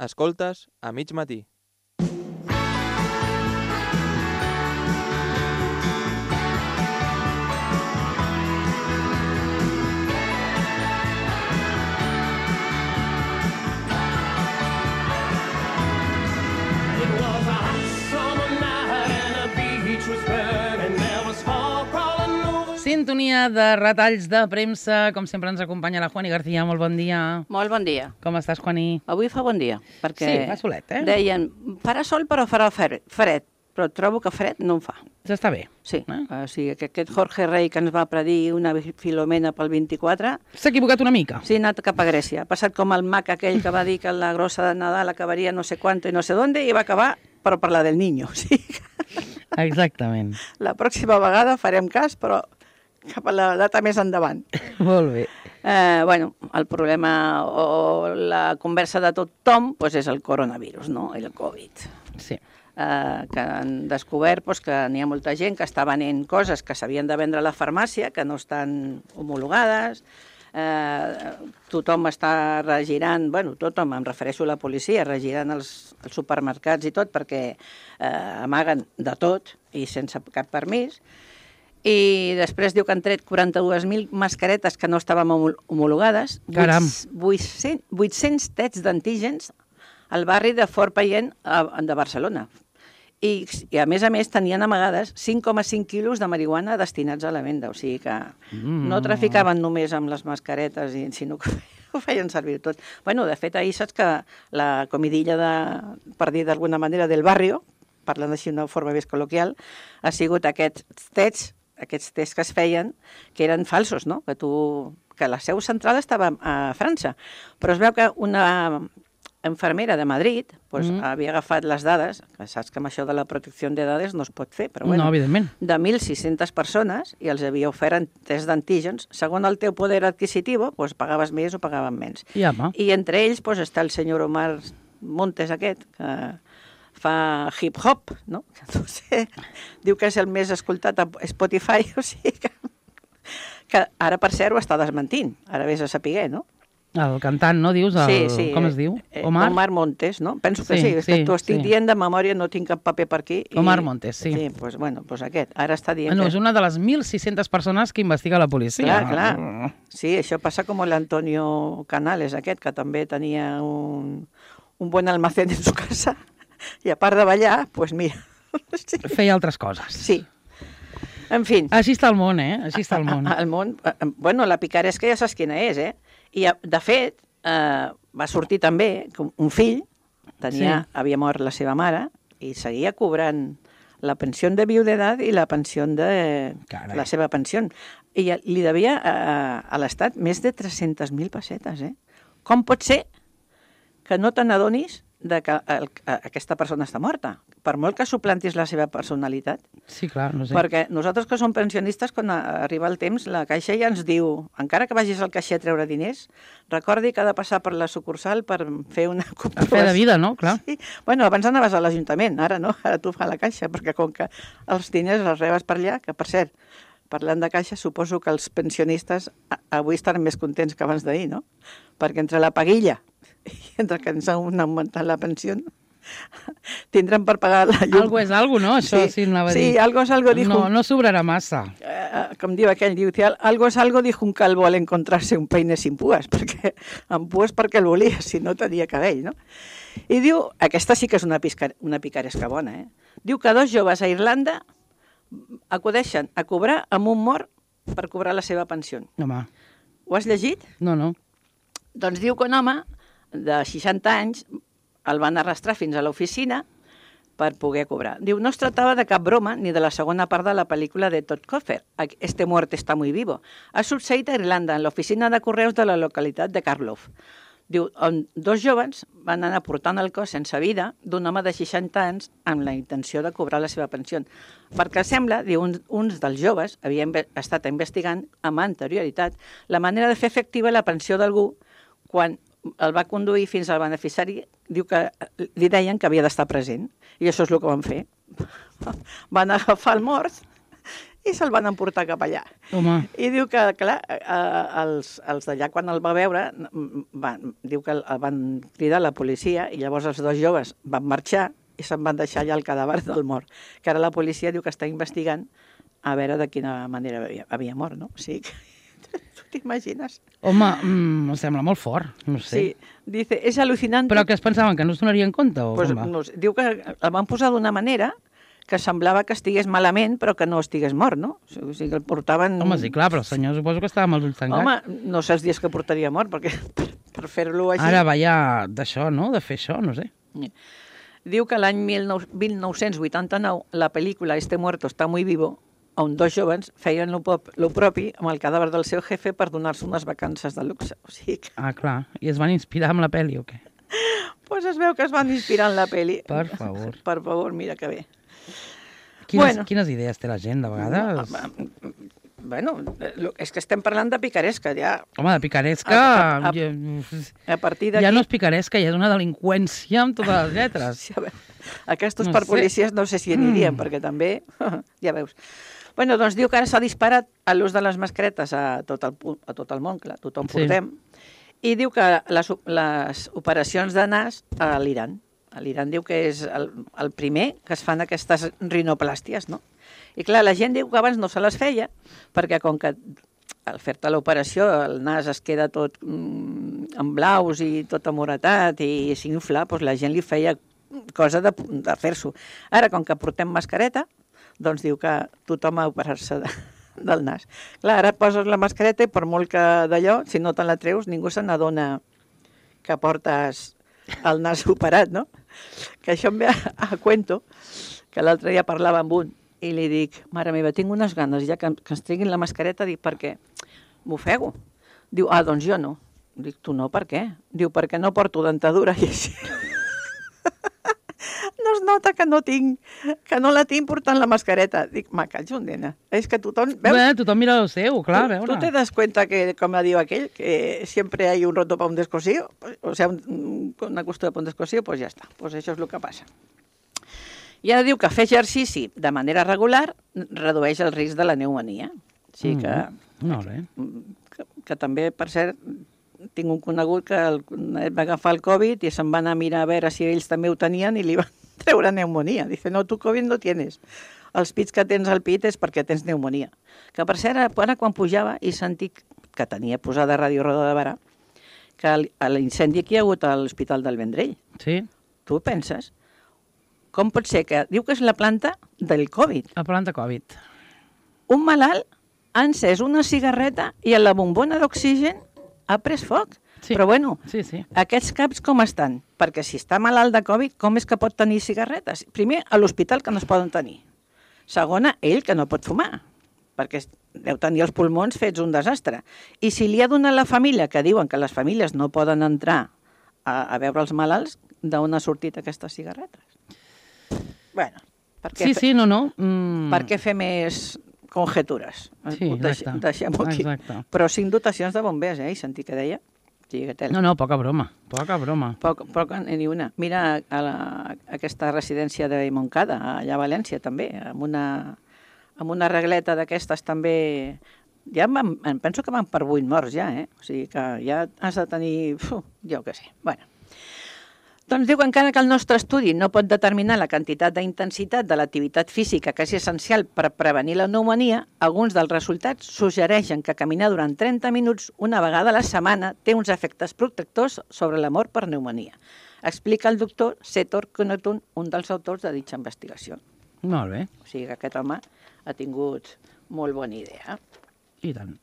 Escoltes a mig matí. Sintonia de retalls de premsa. Com sempre ens acompanya la Juani García. Molt bon dia. Molt bon dia. Com estàs, Juani? Avui fa bon dia, perquè Sí, fa solet, deien, farà sol però farà fred, però trobo que fred no en fa. Ja està bé. Sí, o sigui que aquest Jorge Rey que ens va predir una Filomena pel 24... S'ha equivocat una mica. Sí, ha anat cap a Grècia. Ha passat com el mag aquell que va dir que la grossa de Nadal acabaria no sé quanto i no sé dónde i va acabar per parlar del niño. O sigui que Exactament. la pròxima vegada farem cas, però cap a la data més endavant. Molt bé. Bueno, el problema o la conversa de tothom pues, és el coronavirus, no? El Covid. Sí. Que han descobert pues, que n'hi ha molta gent que està venent coses que s'havien de vendre a la farmàcia, que no estan homologades. Tothom està regirant, bueno, tothom, em refereixo a la policia, regirant els supermercats i tot, perquè amaguen de tot i sense cap permís. I després diu que han tret 42.000 mascaretes que no estàvem homologades. Caram. 800 tests d'antígens al barri de Fort Payent de Barcelona. I a més tenien amagades 5,5 quilos de marihuana destinats a la venda. O sigui que no traficaven només amb les mascaretes, sinó que ho feien servir tot. Bueno, de fet, ahir saps que la comidilla, per dir d'alguna manera, del barrio, parlant així d'una forma més col·loquial, ha sigut aquests tests que es feien, que eren falsos, no? Que la seu central estava a França, però es veu que una infermera de Madrid havia agafat les dades, que saps que amb això de la protecció de dades no es pot fer, però bueno, No, evidentment. de 1.600 persones i els havia ofert test d'antígens. Segons el teu poder adquisitiu, pues, pagaves més o pagaven menys. I entre ells pues, està el senyor Omar Montes aquest, que fa hip-hop, no? No sé, diu que és el més escoltat a Spotify, o sigui que ara, per cert, ho està desmentint. Ara vés a saber, no? El cantant, no, dius? Sí. Com es diu? Omar Montes, no? Penso que sí, és que t'ho estic dient de memòria, no tinc cap paper per aquí. Omar Montes, sí. Sí, doncs bueno, aquest. Ara està dient és una de les 1.600 persones que investiga la policia. Clar. Sí, això passa com l'Antonio Canales, aquest, que també tenia un buen almacén en su casa. I a part de ballar, doncs mira... Feia altres coses. Sí. En fi. Així està el món, Així està el món. El món... Bueno, la picaresca ja saps quina és, I, de fet, va sortir també que un fill havia mort la seva mare i seguia cobrant la pensió de viudetat i la pensió de... la seva pensió. I li devia a l'Estat més de 300.000 pessetes, Com pot ser que no te n'adonis que aquesta persona està morta, per molt que suplantis la seva personalitat. Sí, clar, no sé. Perquè nosaltres que som pensionistes, quan arriba el temps, la Caixa ja ens diu, encara que vagis al caixer a treure diners, recordi que ha de passar per la sucursal per fer una comprovació. Per fer de vida, no? Clar. Sí. Bueno, abans anaves a l'Ajuntament, ara no, ara tu fa la Caixa, perquè com que els diners els rebes per allà, que per cert, parlant de Caixa, suposo que els pensionistes avui estan més contents que abans d'ahir, no? Perquè entre la paguilla i entre que ens han augmentat la pensió, tindran per pagar la llum. Algo és algo, no? Això sí anava a dir. Sí, algo es algo, dijo. No sobrarà massa. Com diu aquell, diu, algo es algo, dijo un calvo al encontrarse un peine sin púas, perquè amb púas perquè el volia, si no tenia cabell, no? I diu, aquesta sí que és una picaresca bona, Diu que 2 joves a Irlanda acudeixen a cobrar amb un mort per cobrar la seva pensió. Home. Ho has llegit? No. Doncs diu que un home de 60 anys el van arrastrar fins a l'oficina per poder cobrar. Diu, no es tractava de cap broma ni de la segona part de la pel·lícula de Todd Coffer, Este muerto está muy vivo. Ha succeït a Irlanda, en l'oficina de correus de la localitat de Karloff. Diu, on 2 joves van anar portant el cos sense vida d'un home de 60 anys amb la intenció de cobrar la seva pensió. Perquè sembla, diu, uns dels joves havien estat investigant amb anterioritat la manera de fer efectiva la pensió d'algú quan el va conduir fins al beneficiari, diu que li deien que havia d'estar present. I això és el que van fer. Van agafar el mort i se'l van emportar cap allà. Home. I diu que, clar, els d'allà, quan el va veure, diu que el van cridar a la policia i llavors els dos joves van marxar i se'n van deixar allà el cadàver del mort. Que ara la policia diu que està investigant a veure de quina manera havia mort, no? O sigui que... Tu t'imagines? Home, em sembla molt fort, no sé. Sí, dice, és al·lucinant... Però que es pensaven que no es donarien compte o pues, com va? no, diu que el van posar d'una manera que semblava que estigués malament però que no estigués mort, no? O sigui que el portaven... Home, sí, clar, però el senyor suposo que estava amb els ulls tancats. Home, no sé els dies que portaria mort, perquè per fer-lo així... Ara va ja d'això, no?, de fer això, no sé. Diu que l'any 1989 la pel·lícula Este muerto está muy vivo, on dos jovens feien lo propi amb el cadàver del seu jefe per donar-se unes vacances de luxe. O sigui que... Ah, clar. I es van inspirar amb la pel·li o què? Pues es veu que es van inspirar en la pel·li. Per favor. Per favor, mira que bé. Quines idees té la gent, de vegades? Bueno, és que estem parlant de picaresca, ja. Home, de picaresca... A partir d'aquí... Ja no és picaresca, ja és una delinqüència amb totes les lletres. Sí, aquestos per policies no sé si anirien, perquè també... Ja veus. Bueno, doncs diu que ara s'ha disparat a l'ús de les mascaretes a tot el món, clar, tothom portem, i diu que les operacions de nas a l'Iran. A l'Iran diu que és el primer que es fan aquestes rinoplàsties, no? I clar, la gent diu que abans no se les feia, perquè com que al fer-te l'operació el nas es queda tot en blaus i tot amoretat i s'infla, doncs la gent li feia cosa de fer-s'ho. Ara, com que portem mascareta, doncs diu que tothom ha operar-se del nas. Clar, ara et poses la mascareta i per molt que d'allò, si no te la treus, ningú se n'adona que portes el nas operat, no? Que això em ve a cuento, que l'altre dia parlava amb un i li dic, mare meva, tinc unes ganes ja que ens treguin la mascareta, dic, per què? M'ofego. Diu, doncs jo no. Dic, tu no, per què? Diu, perquè no porto dentadura i així. No es nota que no la tinc portant la mascareta. Dic, me callo, nena. És que tothom... Veus? Bé, tothom mira el seu, clar, a veure. ¿Tú te das cuenta que, como diu aquell, que siempre hay un roto para un descosido? O sea, una costura para un descosido, pues ya está. Pues això és el que passa. I ara diu que fer exercici de manera regular redueix el risc de la pneumònia. O sigui que... Molt bé. Que també, per cert, tinc un conegut que va agafar el Covid i se'n va anar a mirar a veure si ells també ho tenien i li van treure pneumònia. Dice, no, tu Covid no tienes. Els pits que tens al pit és perquè tens pneumònia. Que, per cert, ara quan pujava i sentit que tenia posada Ràdio Roda de Barà, que l'incendi que hi ha hagut a l'Hospital del Vendrell. Sí. Tu penses? Com pot ser que... Diu que és la planta del Covid. La planta Covid. Un malalt ha encès una cigarreta i a la bombona d'oxigen ha pres foc. Sí. Però bueno, sí. Aquests caps com estan? Perquè si està malalt de Covid, com és que pot tenir cigarretes? Primer, a l'hospital que no es poden tenir. Segona, ell que no pot fumar, perquè deu tenir els pulmons fets un desastre. I si li ha donat la família, que diuen que les famílies no poden entrar a veure els malalts, d'on ha sortit aquestes cigarretes? Bueno, per què no. Per què fer més conjetures? Sí, exacte. Deixem-ho aquí. Exacte. Però 5 dotacions de bombers, I sentir que deia. Sí, que No, poca broma. Poca ni una. Mira aquesta residència de Montcada, allà a València també, amb una regleta d'aquestes també... Ja em penso que van per 8 morts ja, O sigui que ja has de tenir... jo què sé. Bueno. Doncs diu que encara que el nostre estudi no pot determinar la quantitat d'intensitat de l'activitat física que és essencial per prevenir la pneumònia, alguns dels resultats suggereixen que caminar durant 30 minuts una vegada a la setmana té uns efectes protectors sobre la mort per pneumònia. Explica el doctor Setor Kunotun, un dels autors de ditxa investigació. Molt bé. O sigui que aquest home ha tingut molt bona idea. I tant.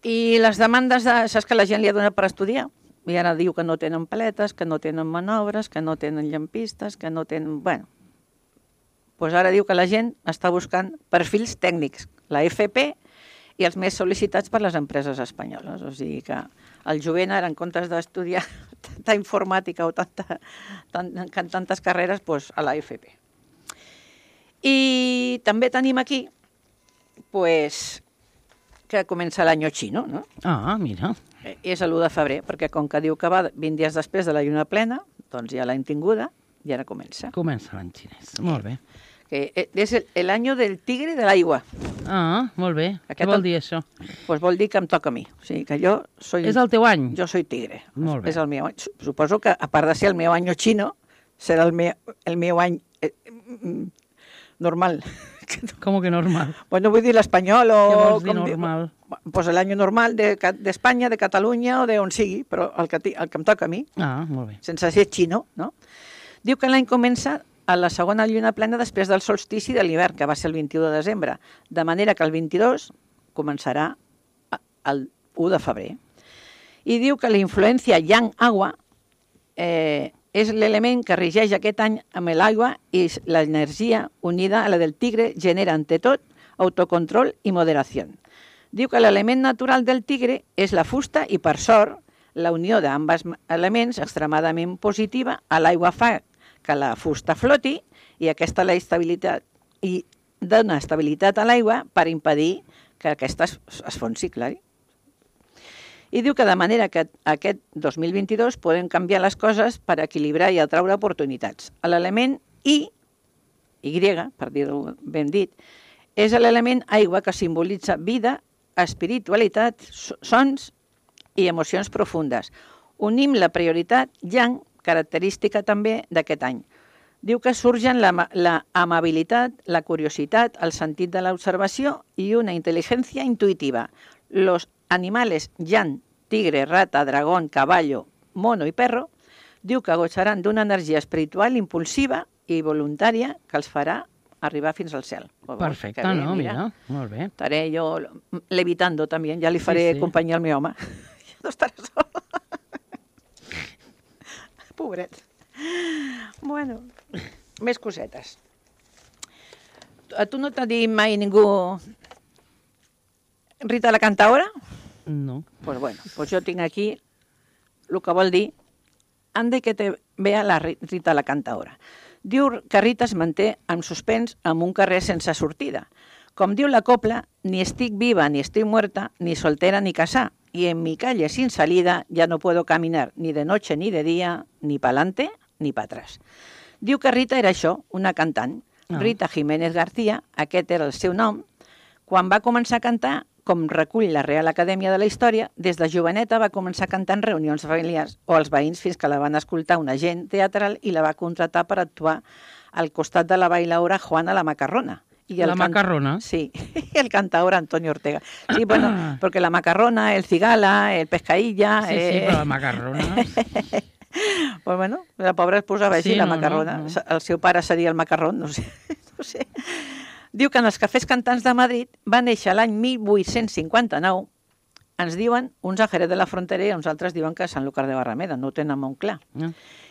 I les demandes saps que la gent li ha donat per estudiar? I ara diu que no tenen paletes, que no tenen manobres, que no tenen llampistes, que no tenen... Bueno, doncs ara diu que la gent està buscant perfils tècnics, la FP i els més sol·licitats per les empreses espanyoles. O sigui que el jovent ara, en comptes d'estudiar tanta informàtica o tantes carreres, doncs a la FP. I també tenim aquí que comença l'any xino, no? Ah, mira. És l'1 de febrer, perquè com que diu que va 20 dies després de la lluna plena, doncs ja l'any tinguda i ara comença. Comença l'any xinès, molt bé. que és el año del tigre de l'aigua. Ah, molt bé. Què vol dir això? Pues vol dir que em toca a mi. O sigui, que jo soy... És el teu any? Jo soy tigre. Molt bé. És el meu any. Suposo que, a part de ser el meu any xino, serà el meu any normal. Com que normal? Bueno, vull dir l'espanyol o... Què vols dir normal? Pues l'any normal d'Espanya, de Catalunya o d'on sigui, però el que em toca a mi, Ah, molt bé. sense ser xino, no? Diu que l'any comença a la segona lluna plena després del solstici de l'hivern, que va ser el 21 de desembre, de manera que el 22 començarà el 1 de febrer. I diu que la influència yang-agua és l'element que regeix aquest any amb l'aigua i l'energia unida a la del tigre genera, ante tot, autocontrol i moderació. Diu que l'element natural del tigre és la fusta i, per sort, la unió d'ambs elements extremadament positiva a l'aigua fa que la fusta floti i aquesta la estabilitat i dona estabilitat a l'aigua per impedir que aquesta es fonsi, clar. I diu que de manera que aquest 2022 podem canviar les coses per equilibrar i atraure oportunitats. L'element Y, per dir-ho ben dit, és l'element aigua que simbolitza vida, espiritualitat, sons i emocions profundes. Unim la prioritat yang, característica també d'aquest any. Diu que surgen la amabilitat, la curiositat, el sentit de l'observació i una intel·ligència intuitiva. Los animales yang, tigre, rata, dragón, caballo, mono i perro, diu que gossaran d'una energia espiritual impulsiva i voluntària que els farà arribar fins al cel. Perfecte, bé, no? Mira, molt bé. Estaré jo levitando també, ja li faré companyia al meu home. Ja no estarà sol. Pobret. Bueno, més cosetes. A tu no t'ha dit mai ningú Rita la Cantaora? No. Pues bueno, pues jo tinc aquí el que vol dir ande que te vea la Rita la Cantaora. Diu que Rita es manté en suspens en un carrer sense sortida. Com diu la copla, ni estic viva ni estic muerta, ni soltera ni casada, y en mi calle sin salida ya no puedo caminar ni de noche ni de día, ni pa'lante ni pa atrás. Diu que Rita era això, una cantant. Rita Jiménez García, aquest era el seu nom. Quan va començar a cantar, com recull la Real Acadèmia de la Història, des de joveneta va començar a cantar en reunions familiars o als veïns fins que la van escoltar un agent teatral i la va contratar per actuar al costat de la bailaora Juana la Macarrona. ¿La Macarrona? Sí, y el cantador Antonio Ortega. Sí, bueno, porque la Macarrona, el Cigala, el Pescaïlla... Sí, sí, però la Macarrona... Pues bueno, la pobra es posava així, la Macarrona. No. El seu pare seria el Macarrón, no sé. No sé. Diu que en els cafès cantants de Madrid va néixer l'any 1859, ens diuen uns a Jerez de la Frontera i uns altres diuen que a Sant Lucas de Barrameda, no ho tenen molt clar.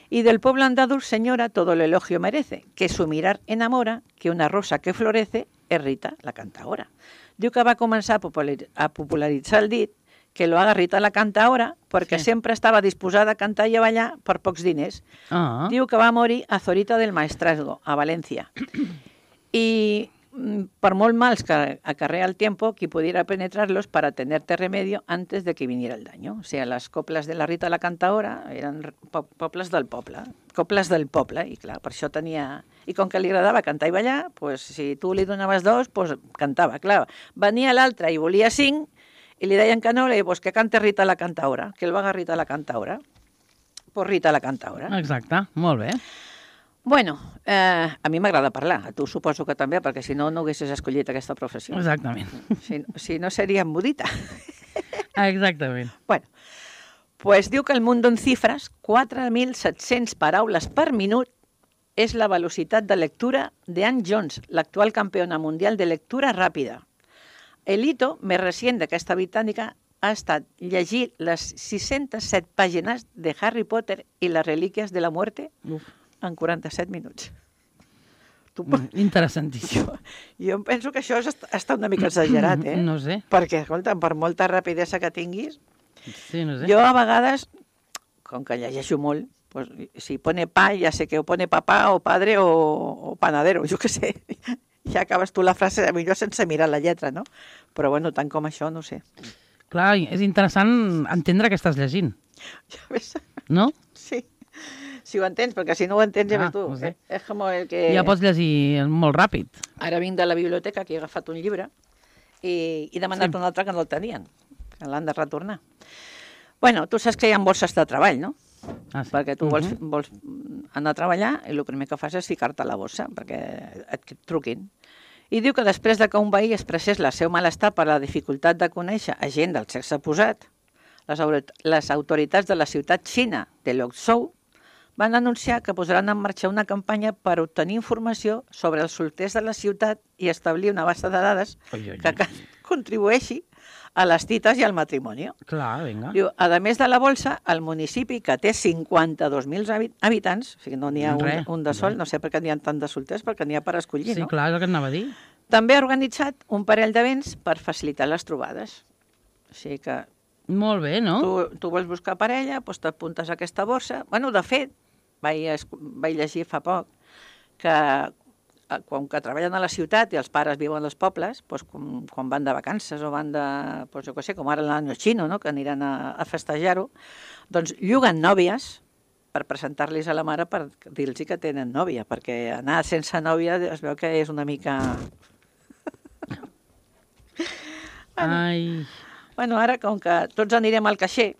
Y del pueblo andaluz, señora, todo el elogio merece, que su mirar enamora, que una rosa que florece es Rita la Cantaora. Diu que va començar a popularitzar el dit, que lo haga Rita la Cantaora, perquè sempre estava disposada a cantar i a ballar per pocs diners. Diu que va morir a Zorita del Maestrazgo, a València. I por molt mals que acarrea el tiempo, que pudiera penetrarlos para tenerte remedio antes de que viniera el daño. O sea, las coples de la Rita la Cantaora eren coples del poble, i clar, per això tenia... I com que li agradava cantar i ballar, pues, si tu li donaves dos, pues, cantava, clar. Venia l'altre i volia 5, i li deien que no, li deien, pues, que cante Rita la Cantaora, que el va Rita la Cantaora. Pues Rita la Cantaora. Exacte, molt bé. Bueno, a mi m'agrada parlar, a tu suposo que també, perquè si no, no haguessis escollit aquesta professió. Exactament. Si no, seria embudita. Exactament. Bueno, pues diu que el mundo en cifres, 4.700 paraules per minut, és la velocitat de lectura d'Ann Jones, l'actual campiona mundial de lectura ràpida. El hito més recent d'aquesta britànica ha estat llegir les 607 pàgines de Harry Potter i les relíquies de la muerte en 47 minuts. Interessantíssim. Jo penso que això està una mica exagerat, eh? No sé. Perquè, escolta, per molta rapidesa que tinguis... Sí, no sé. Jo a vegades, com que llegeixo molt, pues, si pone pa, ja sé que o pone papà o padre o panadero, jo què sé. Ja acabes tu la frase, millor sense mirar la lletra, no? Però bueno, tant com això, no sé. Clar, és interessant entendre què estàs llegint. Ja ves? No? Sí. Si ho entens, perquè si no ho entens, ja ves tu. Ho sé. És com el que... Ja pots llegir molt ràpid. Ara vinc de la biblioteca, que he agafat un llibre, i he demanat un altre que no el tenien, que l'han de retornar. Bueno, tu saps que hi ha borses de treball, no? Ah, sí. Perquè tu vols anar a treballar i el primer que fas és ficar-te a la bossa perquè et truquin. I diu que després de que un veí expressés el seu malestar per la dificultat de conèixer a gent del sexe oposat, les autoritats de la ciutat xina de Louzhou van anunciar que posaran en marxa una campanya per obtenir informació sobre els solters de la ciutat i establir una base de dades que contribueixi a les tites i al matrimoni. Clar, vinga. Diu, a més de la bolsa, el municipi, que té 52.000 habitants, o sigui, no n'hi ha un de sol, no sé per què n'hi ha tant de solters, perquè n'hi ha per escollir, no? Sí, clar, és el que anava a dir. També ha organitzat un parell d'events per facilitar les trobades. O sigui que... Molt bé, no? Tu vols buscar parella, doncs t'apuntes a aquesta borsa. Bueno, de fet, vaig llegir fa poc que quan que treballen a la ciutat i els pares viuen als pobles, doncs, quan van de vacances o van de, doncs, jo què sé, com ara l'any xino, no? Que aniran a festejar-ho, doncs lluguen nòvies per presentar-los a la mare per dir-los que tenen nòvia, perquè anar sense nòvia es veu que és una mica... Ai... Bueno, ara, com que tots anirem al caixer,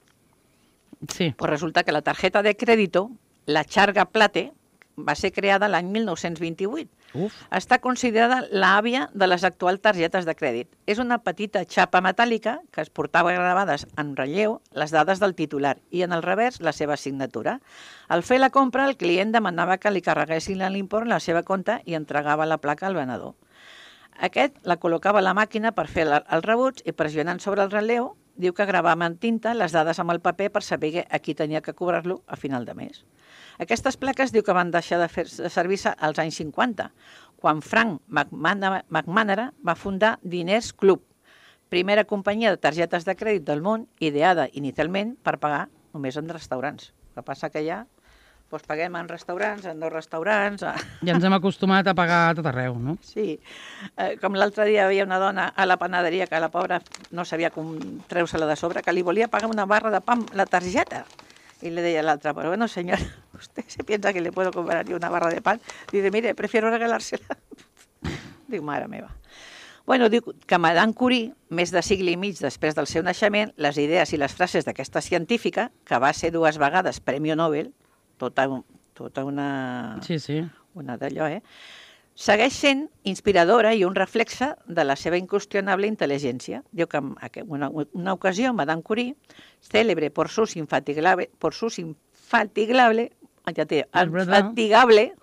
sí. Pues resulta que la tarjeta de crèdito, la Charga Plate, va ser creada l'any 1928. Uf. Està considerada l'àvia de les actuals targetes de crèdit. És una petita xapa metàl·lica que es portava gravades en relleu les dades del titular i en el revers la seva signatura. Al fer la compra, el client demanava que li carreguessin l'import en la seva compte i entregava la placa al venedor. Aquest la col·locava a la màquina per fer el rebuig i pressionant sobre el relleu diu que gravava en tinta les dades amb el paper per saber a qui tenia que cobrar-lo a final de mes. Aquestes plaques diu que van deixar de servir-se als anys 50, quan Frank McManara va fundar Diners Club, primera companyia de targetes de crèdit del món, ideada inicialment per pagar només en restaurants. El que passa que ja doncs paguem en restaurants, en 2 restaurants... Ja ens hem acostumat a pagar a tot arreu, no? Sí. Com l'altre dia hi havia una dona a la panaderia que la pobra no sabia com treure-se-la de sobre, que li volia pagar una barra de pa amb la targeta. Y le deia l'altra, però bueno, señora, ¿usted se piensa que le puedo comprar yo una barra de pan? Dice, mire, prefiero regalársela. Diu, mare meva. Bueno, diu que Madame Curie, més de segle i mig després del seu naixement, les idees i les frases d'aquesta científica, que va ser 2 vegades Premi Nobel, tota una... Sí. Una d'allò, segueix sent inspiradora i un reflexe de la seva inqüestionable intel·ligència. Diu que en una ocasió, Madame Curie, célebre por sus infatigable,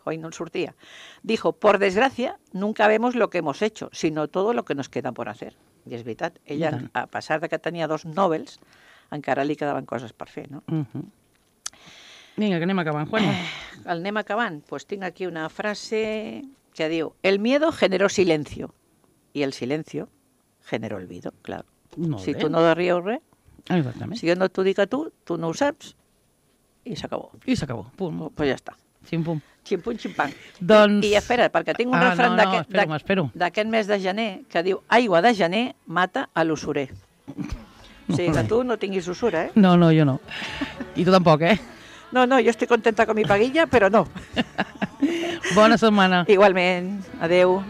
hoy no sortia, dijo, por desgracia, nunca vemos lo que hemos hecho, sino todo lo que nos queda por hacer. I és veritat, ella, a pesar de que tenia 2 Nobels, encara li quedaven coses per fer, no? Vinga, que anem acabant, Juan. Anem acabant. Pues tinc aquí una frase que diu, el miedo generó silencio y el silencio generó olvido, claro. Si tu no dius res, si jo no t'ho dic a tu no ho saps i s'acabó. I s'acabó, punt. Pues ja està. Xim-pum. Xim-pum, xim-pam. Doncs... I espera, perquè tinc un refrany d'aquest mes de gener que diu, aigua de gener mata a l'usurer. O sigui que tu no tinguis usura, No, jo no. I tu tampoc, No, jo estic contenta con mi paguilla, però no. Bona setmana. Igualment. Adeu.